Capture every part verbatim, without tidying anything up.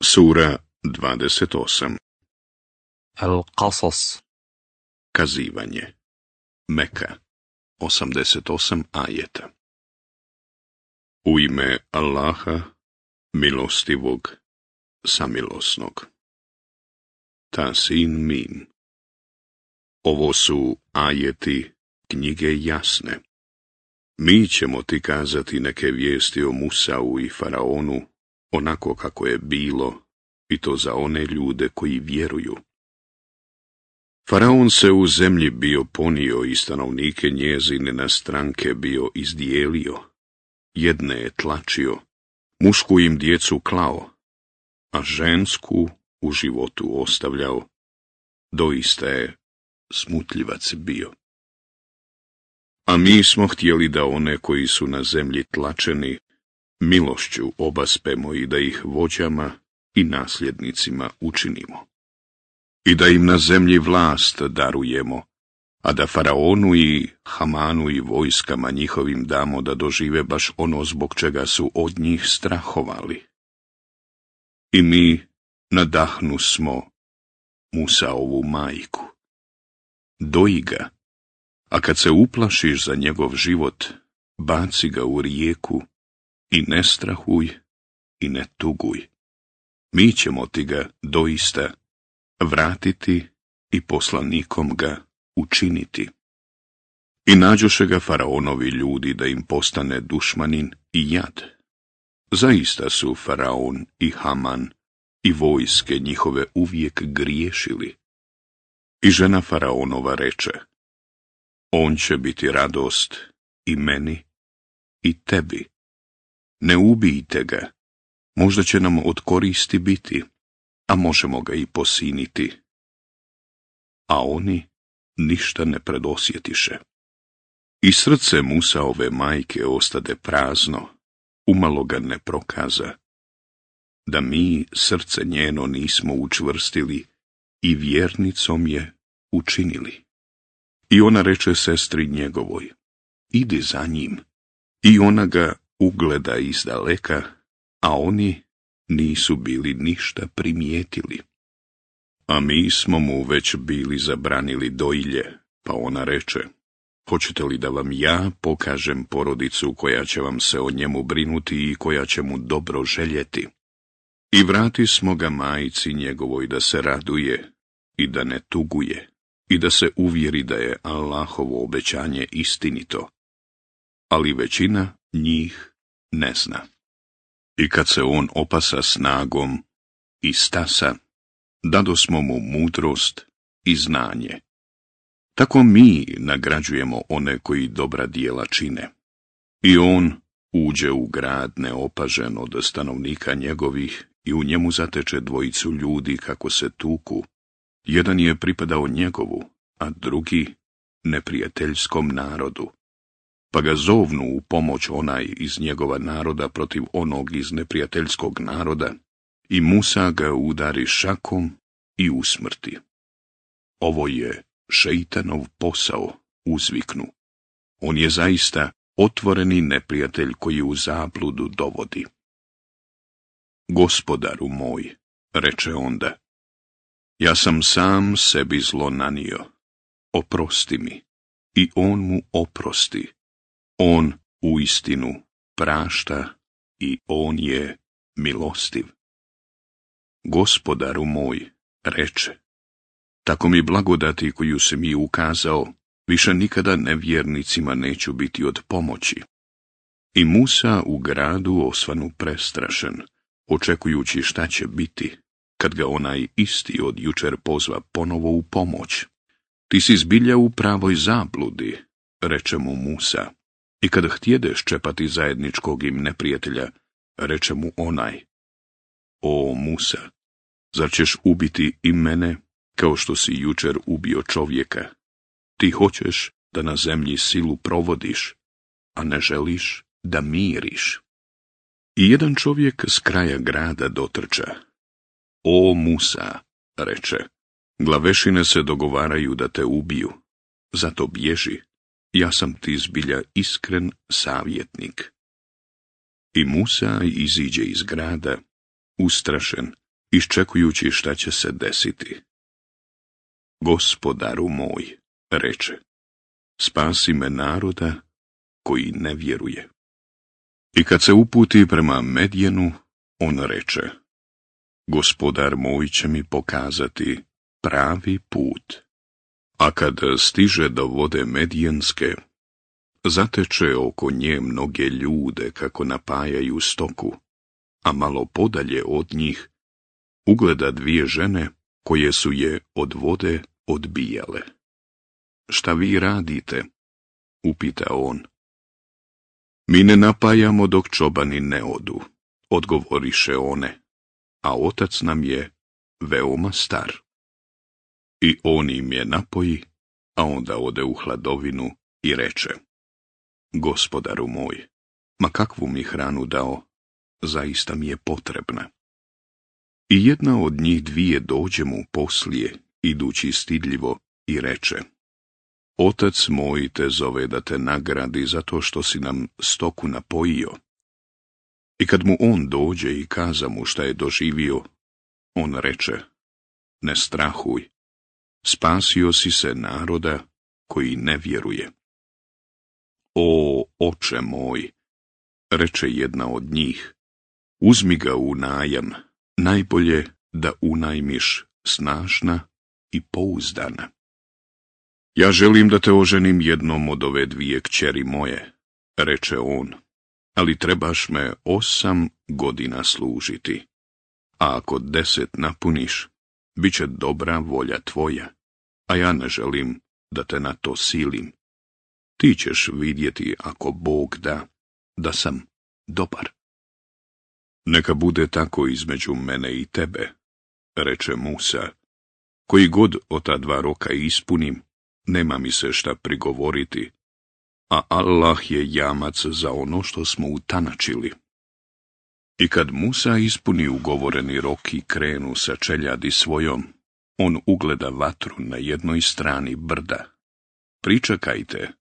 Sura dvadeset osam. Al-Qasas. Kazivanje. Meka. osamdeset osam ajeta. U ime Allaha, milostivog, samilosnog. Tasin Mim. Ovo su ajeti knjige jasne. Mi ćemo ti kazati neke vijesti o Musau i Faraonu, onako kako je bilo, i to za one ljude koji vjeruju. Faraon se u zemlji bio ponio i stanovnike njezine na stranke bio izdijelio. Jedne je tlačio, mušku im djecu klao, a žensku u životu ostavljao. Doista je smutljivac bio. A mi smo htjeli da one koji su na zemlji tlačeni milošću obaspemo i da ih vođama i nasljednicima učinimo. I da im na zemlji vlast darujemo, a da Faraonu i Hamanu i vojskama njihovim damo da dožive baš ono zbog čega su od njih strahovali. I mi nadahnu smo Musaovu majku. Doji ga, a kad se uplašiš za njegov život, baci ga u rijeku i ne strahuj i ne tuguj. Mi ćemo ti ga doista vratiti i poslanikom ga učiniti. I nađoše ga Faraonovi ljudi da im postane dušmanin i jad. Zaista su Faraon i Haman i vojske njihove uvijek griješili. I žena Faraonova reče: on će biti radost i meni i tebi. Ne ubijte ga, možda će nam od koristi biti, a možemo ga i posiniti. A oni ništa ne predosjetiše. I srce Musaove majke ostade prazno, umalo ga ne prokaza, da mi srce njeno nismo učvrstili i vjernicom je učinili. I ona reče sestri njegovoj: idi za njim. I ona ga ugleda izdaleka, a oni nisu bili ništa primijetili. A mi smo mu već bili zabranili dojilje, pa ona reče: hoćete li da vam ja pokažem porodicu koja će vam se o njemu brinuti i koja će mu dobro željeti? I vrati smo ga majci njegovoj da se raduje i da ne tuguje i da se uvjeri da je Allahovo obećanje istinito, ali većina njih ne zna. I kad se on opasa snagom i stasa, dadosmo mu mudrost i znanje. Tako mi nagrađujemo one koji dobra djela čine. I on uđe u grad neopažen od stanovnika njegovih i u njemu zateče dvojicu ljudi kako se tuku. Jedan je pripadao njegovu, a drugi neprijateljskom narodu. Pa ga zovnu u pomoć onaj iz njegova naroda protiv onog iz neprijateljskog naroda, i Musa ga udari šakom i usmrti. Ovo je šeitanov posao, uzviknu. On je zaista otvoreni neprijatelj koji u zabludu dovodi. Gospodaru moj, reče onda, ja sam sam sebi zlo nanio, oprosti mi. I on mu oprosti. On uistinu prašta i on je milostiv. Gospodaru moj, reče, tako mi blagodati koju si mi ukazao, više nikada nevjernicima neću biti od pomoći. I Musa u gradu osvanu prestrašen, očekujući šta će biti, kad ga onaj isti od jučer pozva ponovo u pomoć. Ti si zbilja u pravoj zabludi, reče mu Musa. I kada htjedeš čepati zajedničkog im neprijatelja, reče mu onaj: o Musa, zar ćeš ubiti i mene, kao što si jučer ubio čovjeka? Ti hoćeš da na zemlji silu provodiš, a ne želiš da miriš. I jedan čovjek s kraja grada dotrča. O Musa, reče, glavešine se dogovaraju da te ubiju, zato bježi. Ja sam ti zbilja iskren savjetnik. I Musa iziđe iz grada, ustrašen, iščekujući šta će se desiti. Gospodaru moj, reče, spasi me naroda koji ne vjeruje. I kad se uputi prema Medjenu, on reče, Gospodar moj će mi pokazati pravi put. A kad stiže do vode Medjenske, zateče oko nje mnoge ljude kako napajaju stoku, a malo podalje od njih ugleda dvije žene koje su je od vode odbijale. Šta vi radite? Upita on. Mi ne napajamo dok čobani ne odu, odgovoriše one, a otac nam je veoma star. I on im je napoji, a onda ode u hladovinu i reče, Gospodaru moj, ma kakvu mi hranu dao, zaista mi je potrebna. I jedna od njih dvije dođe mu poslije, idući stidljivo, i reče, Otac moj te zove da te nagradi zato što si nam stoku napojio. I kad mu on dođe i kaza mu šta je doživio, on reče, ne strahuj, spasio si se naroda koji ne vjeruje. O, oče moj, reče jedna od njih, uzmi ga u najam, najbolje da unajmiš snažna i pouzdana. Ja želim da te oženim jednom od ove dvije kćeri moje, reče on, ali trebaš me osam godina služiti, a ako deset napuniš, bit će dobra volja tvoja, a ja ne želim da te na to silim. Ti ćeš vidjeti, ako Bog da, da sam dobar. Neka bude tako između mene i tebe, reče Musa, koji god od ta dva roka ispunim, nema mi se šta prigovoriti, a Allah je jamac za ono što smo utanačili. I kad Musa ispuni ugovoreni rok i krenu sa čeljadi svojom, on ugleda vatru na jednoj strani brda. Pričekajte,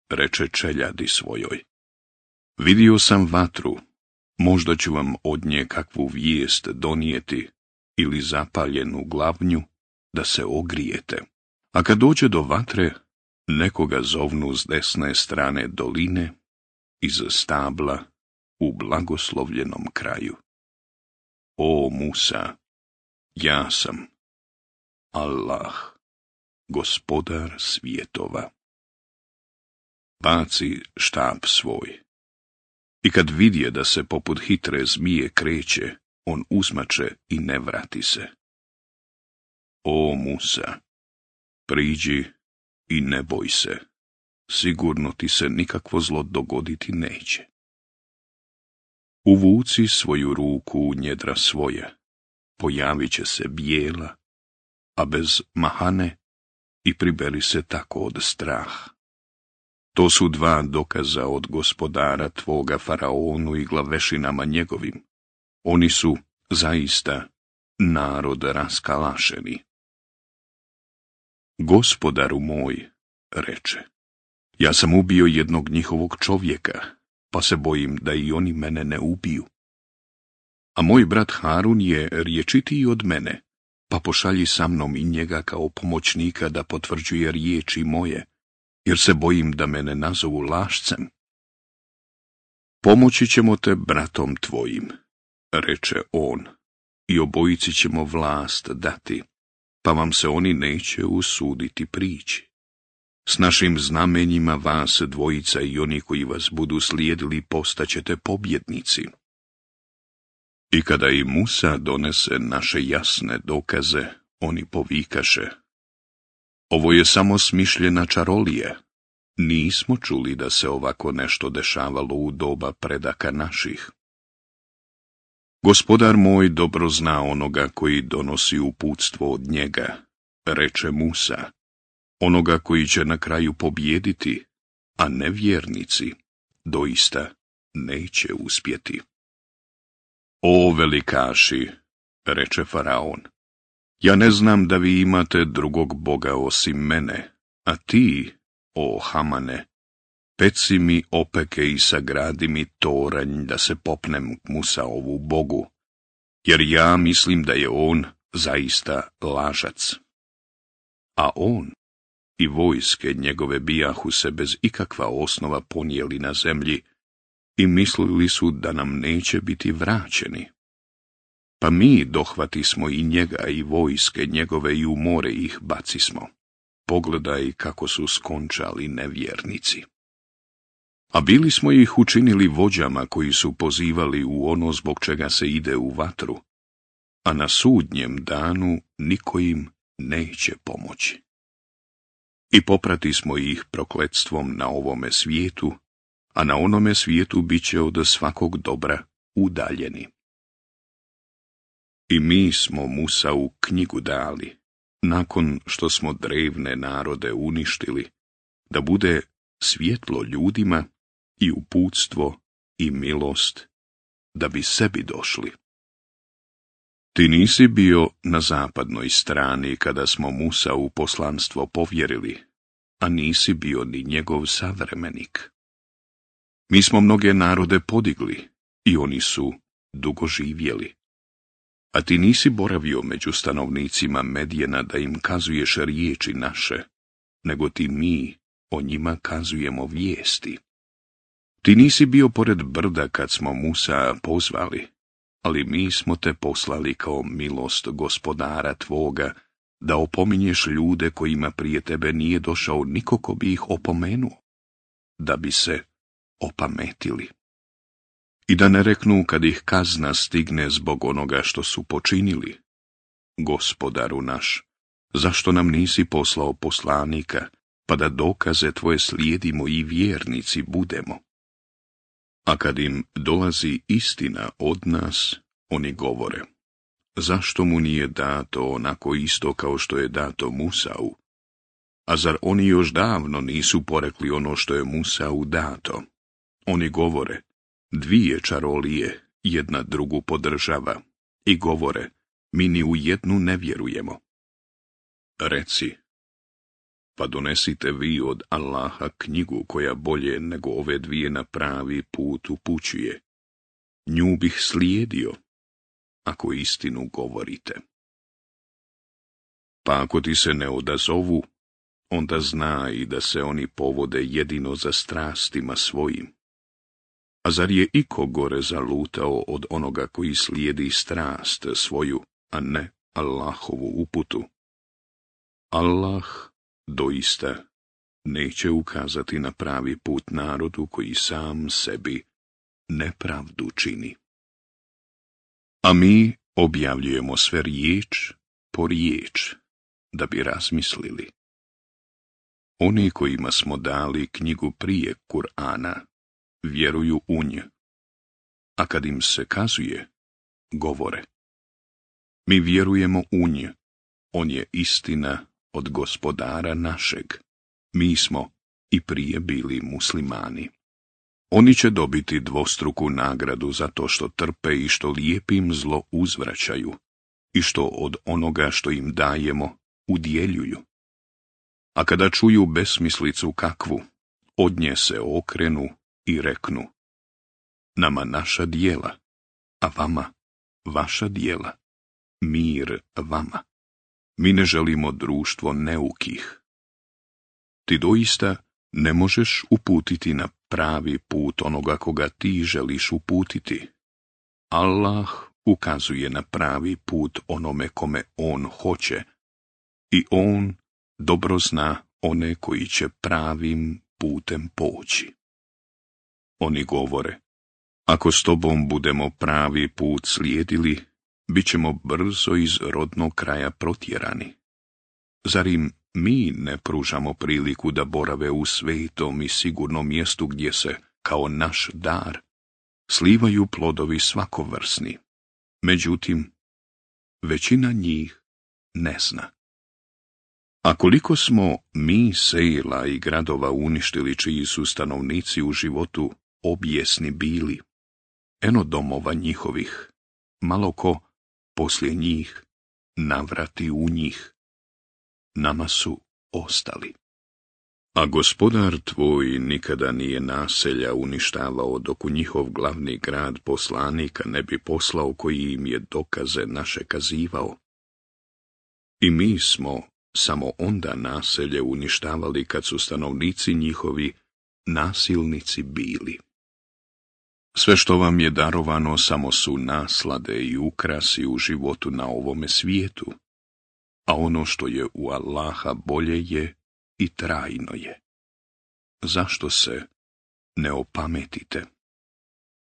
reče čeljadi svojoj. Vidio sam vatru, možda ću vam od nje kakvu vijest donijeti ili zapaljenu glavnju da se ogrijete. A kad dođe do vatre, nekoga zovnu s desne strane doline, iz stabla, u blagoslovljenom kraju. O Musa, ja sam Allah, gospodar svjetova. Baci štap svoj. I kad vidje da se poput hitre zmije kreće, on uzmače i ne vrati se. O Musa, priđi i ne boj se, sigurno ti se nikakvo zlo dogoditi neće. Uvuci svoju ruku u njedra svoje, pojavit će se bijela, a bez mahane, i priberi se tako od straha. To su dva dokaza od gospodara tvoga faraonu i glavešinama njegovim. Oni su zaista narod raskalašeni. Gospodaru moj, reče, ja sam ubio jednog njihovog čovjeka, pa se bojim da i oni mene ne ubiju. A moj brat Harun je riječitiji od mene, pa pošalji sa mnom i njega kao pomoćnika da potvrđuje riječi moje, jer se bojim da me ne nazovu lašcem. Pomoći ćemo te bratom tvojim, reče on, i obojici ćemo vlast dati, pa vam se oni neće usuditi prići. S našim znamenjima vas dvojica i oni koji vas budu slijedili postaćete pobjednici. I kada i Musa donese naše jasne dokaze, oni povikaše, ovo je samo smišljena čarolija. Nismo čuli da se ovako nešto dešavalo u doba predaka naših. Gospodar moj dobro zna onoga koji donosi uputstvo od njega, reče Musa, onoga koji će na kraju pobijediti, a nevjernici doista neće uspjeti. O velikaši, reče faraon, ja ne znam da vi imate drugog boga osim mene, a ti, o Hamane, peci mi opeke i sagradi mi toranj da se popnem k Musaovu bogu, jer ja mislim da je on zaista lažac. A on i vojske njegove bijahu se bez ikakva osnova ponijeli na zemlji i mislili su da nam neće biti vraćeni. Pa mi dohvati smo i njega i vojske njegove i u more ih bacismo. Pogledaj kako su skončali nevjernici. A bili smo ih učinili vođama koji su pozivali u ono zbog čega se ide u vatru, a na sudnjem danu niko im neće pomoći. I poprati smo ih prokletstvom na ovome svijetu, a na onome svijetu bit će od svakog dobra udaljeni. I mi smo Musa u knjigu dali, nakon što smo drevne narode uništili, da bude svjetlo ljudima i uputstvo i milost, da bi sebi došli. Ti nisi bio na zapadnoj strani kada smo Musa u poslanstvo povjerili, a nisi bio ni njegov savremenik. Mi smo mnoge narode podigli i oni su dugo živjeli. A ti nisi boravio među stanovnicima Medjena da im kazuješ riječi naše, nego ti mi o njima kazujemo vijesti. Ti nisi bio pored brda kad smo Musa pozvali, ali mi smo te poslali kao milost gospodara tvoga, da opominješ ljude kojima prije tebe nije došao niko ko bi ih opomenuo, da bi se opametili. I da ne reknu kad ih kazna stigne zbog onoga što su počinili: Gospodaru naš, zašto nam nisi poslao poslanika, pa da dokaze tvoje slijedimo i vjernici budemo? A kad im dolazi istina od nas, oni govore: zašto mu nije dato onako isto kao što je dato Musau? A zar oni još davno nisu porekli ono što je Musau dato? Oni govore: dvije čarolije jedna drugu podržava, i govore: mi ni u jednu ne vjerujemo. Reci: pa donesite vi od Allaha knjigu koja bolje nego ove dvije na pravi put upućuje. Nju bih slijedio, ako istinu govorite. Pa ako ti se ne odazovu, onda znaj da se oni povode jedino za strastima svojim. A zar je iko gore zalutao od onoga koji slijedi strast svoju, a ne Allahovu uputu? Allah doista neće ukazati na pravi put narodu koji sam sebi nepravdu čini. A mi objavljujemo sve riječ po riječ, da bi razmislili. Oni kojima smo dali knjigu prije Kur'ana vjeruju u nju, a kad im se kazuje, govore: mi vjerujemo u nju, on je istina od gospodara našeg, mi smo i prije bili muslimani. Oni će dobiti dvostruku nagradu za to što trpe i što lijepim zlo uzvraćaju i što od onoga što im dajemo udjeljuju. A kada čuju besmislicu kakvu, od nje se okrenu i reknu: nama naša djela, a vama vaša djela, mir vama. Mi ne želimo društvo neukih. Ti doista ne možeš uputiti na pravi put onoga koga ti želiš uputiti. Allah ukazuje na pravi put onome kome on hoće, i on dobro zna one koji će pravim putem poći. Oni govore: ako s tobom budemo pravi put slijedili, bit ćemo brzo iz rodnog kraja protjerani. Zar im mi ne pružamo priliku da borave u svetom i sigurnom mjestu gdje se, kao naš dar, slivaju plodovi svakovrsni? Međutim, većina njih ne zna. A koliko smo mi sela i gradova uništili čiji su stanovnici u životu objesni bili, eno domova njihovih, malo ko poslije njih navrati u njih, nama su ostali. A gospodar tvoj nikada nije naselja uništavao dok u njihov glavni grad poslanika ne bi poslao koji im je dokaze naše kazivao. I mi smo samo onda naselje uništavali kad su stanovnici njihovi nasilnici bili. Sve što vam je darovano samo su naslade i ukrasi u životu na ovome svijetu, a ono što je u Allaha bolje je i trajno je. Zašto se ne opametite?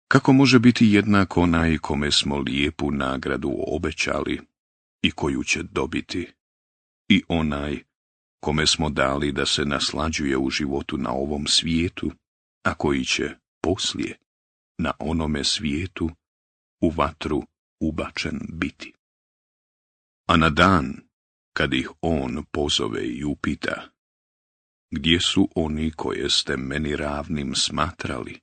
Kako može biti jednak onaj kome smo lijepu nagradu obećali i koju će dobiti, i onaj kome smo dali da se naslađuje u životu na ovom svijetu, a koji će poslije na onome svijetu u vatru ubačen biti? A na dan kad ih on pozove i upita: gdje su oni koje ste meni ravnim smatrali?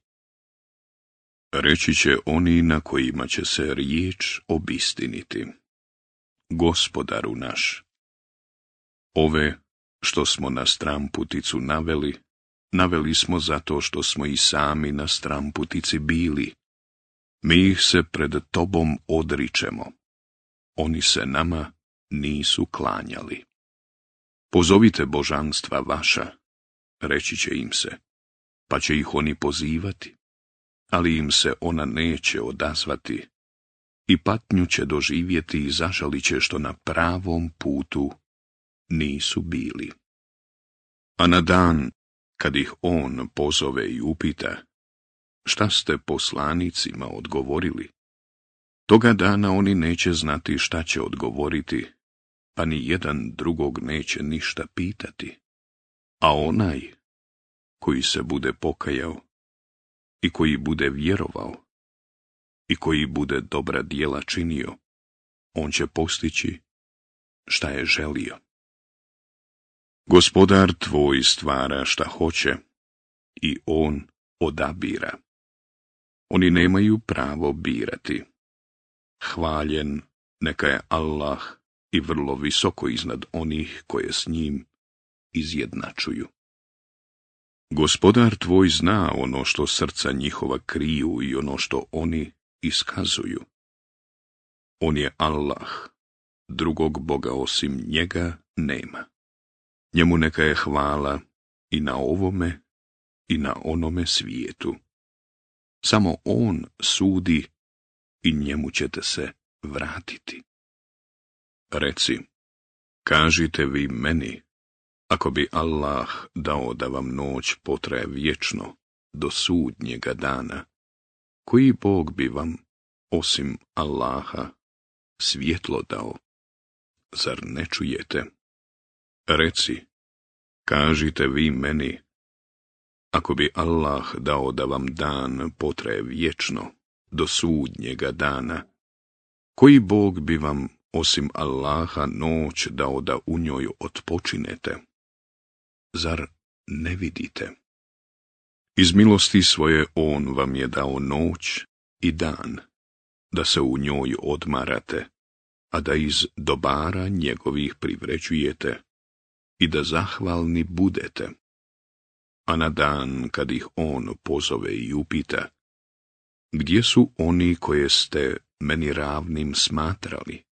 Reći će oni na kojima će se riječ obistiniti: Gospodaru naš, ove što smo na stramputicu naveli, naveli smo zato što smo i sami na stramputici bili. Mi ih se pred tobom odričemo. Oni se nama nisu klanjali. Pozovite božanstva vaša, reći će im se, pa će ih oni pozivati, ali im se ona neće odazvati i patnju će doživjeti i zažalit će što na pravom putu nisu bili. A na dan kad ih on pozove i upita: šta ste poslanicima odgovorili? Toga dana oni neće znati šta će odgovoriti, pa ni jedan drugog neće ništa pitati. A onaj koji se bude pokajao i koji bude vjerovao i koji bude dobra djela činio, on će postići šta je želio. Gospodar tvoj stvara šta hoće i on odabira. Oni nemaju pravo birati. Hvaljen neka je Allah i vrlo visoko iznad onih koje s njim izjednačuju. Gospodar tvoj zna ono što srca njihova kriju i ono što oni iskazuju. On je Allah, drugog Boga osim njega nema. Njemu neka je hvala i na ovome i na onome svijetu. Samo on sudi i njemu ćete se vratiti. Reci, kažite vi meni, ako bi Allah dao da vam noć potraje vječno do sudnjega dana, koji Bog bi vam, osim Allaha, svjetlo dao? Zar ne čujete? Reci, kažite vi meni, ako bi Allah dao da vam dan potraje vječno do sudnjega dana, koji Bog bi vam, osim Allaha, noć dao da u njoj otpočinete? Zar ne vidite? Iz milosti svoje on vam je dao noć i dan, da se u njoj odmarate, a da iz dobara njegovih privređujete i da zahvalni budete. A na dan kad ih on pozove i upita: gdje su oni koje ste meni ravnim smatrali?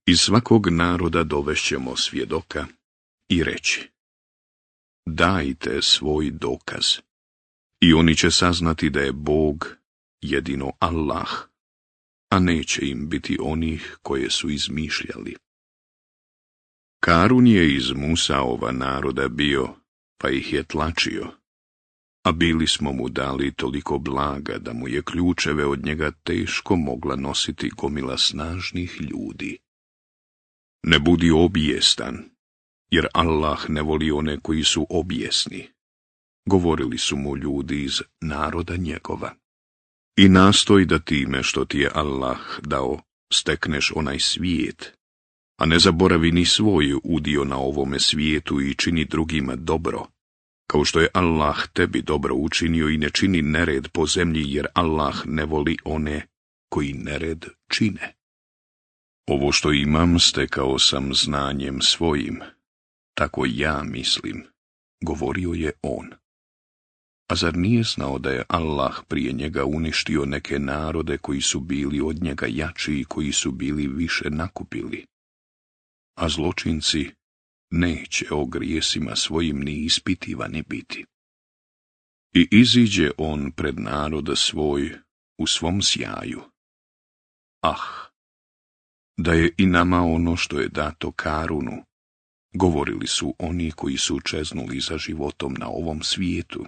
Iz svakog naroda dovešćemo svjedoka i reći: dajte svoj dokaz. I oni će saznati da je Bog jedino Allah, a neće im biti onih koje su izmišljali. Karun je iz Musaova naroda bio, pa ih je tlačio, a bili smo mu dali toliko blaga da mu je ključeve od njega teško mogla nositi gomila snažnih ljudi. Ne budi obijestan, jer Allah ne voli one koji su obijesni, govorili su mu ljudi iz naroda njegova. I nastoj da time što ti je Allah dao stekneš onaj svijet, a ne zaboravi ni svoj udio na ovome svijetu i čini drugima dobro, kao što je Allah tebi dobro učinio, i ne čini nered po zemlji, jer Allah ne voli one koji nered čine. Ovo što imam stekao sam znanjem svojim, tako ja mislim, govorio je on. A zar nije znao da je Allah prije njega uništio neke narode koji su bili od njega jači i koji su bili više nakupili? A zločinci neće o grijesima svojim ni ispitivani biti. I iziđe on pred naroda svoj u svom sjaju. Ah, da je i nama ono što je dato Karunu, govorili su oni koji su čeznuli za životom na ovom svijetu.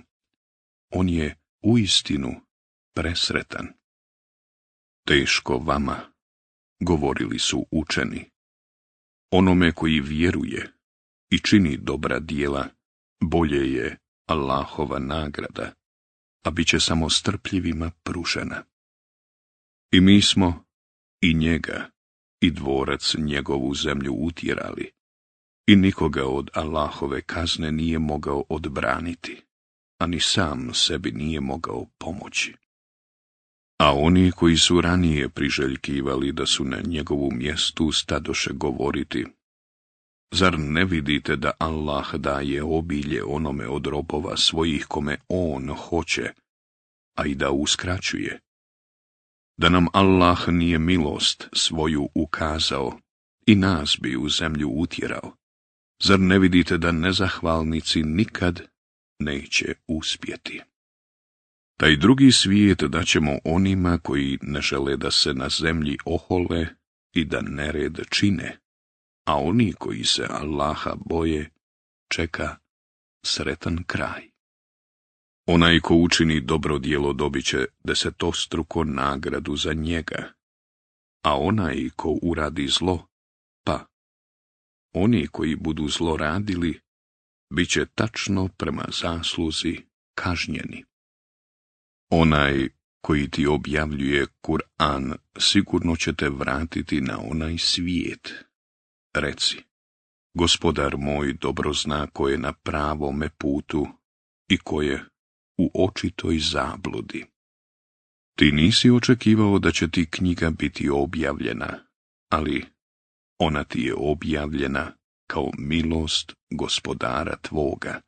On je uistinu presretan. Teško vama, govorili su učeni. Onome koji vjeruje i čini dobra djela, bolje je Allahova nagrada, a bit će samo strpljivima pružena. I mi smo i njega i dvorac njegovu zemlju utjerali, i nikoga od Allahove kazne nije mogao odbraniti, a ni sam sebi nije mogao pomoći. A oni koji su ranije priželjkivali da su na njegovu mjestu stadoše govoriti: zar ne vidite da Allah daje obilje onome od robova svojih kome on hoće, a i da uskraćuje? Da nam Allah nije milost svoju ukazao i nas bi u zemlju utjerao, zar ne vidite da nezahvalnici nikad neće uspjeti? Taj drugi svijet daćemo onima koji ne žele da se na zemlji ohole i da nered čine, a oni koji se Allaha boje čeka sretan kraj. Onaj ko učini dobro djelo dobit će desetostruko nagradu za njega, a onaj ko uradi zlo, pa oni koji budu zlo radili, bit će tačno prema zasluzi kažnjeni. Onaj koji ti objavljuje Kur'an sigurno će te vratiti na onaj svijet. Reci: Gospodar moj dobro zna ko je na pravome putu i ko je u očitoj zabludi. Ti nisi očekivao da će ti knjiga biti objavljena, ali ona ti je objavljena kao milost Gospodara tvoga.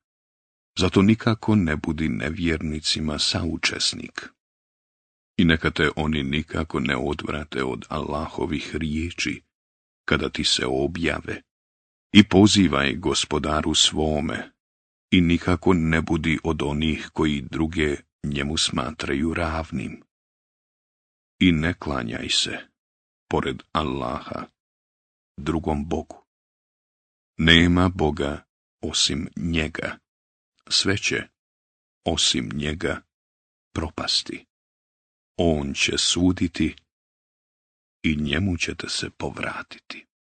Zato nikako ne budi nevjernicima saučesnik. I neka te oni nikako ne odvrate od Allahovih riječi, kada ti se objave, i pozivaj Gospodaru svome, i nikako ne budi od onih koji druge njemu smatraju ravnim. I ne klanjaj se, pored Allaha, drugom Bogu. Nema Boga osim njega, sve će, osim njega, propasti. On će suditi i njemu ćete se povratiti.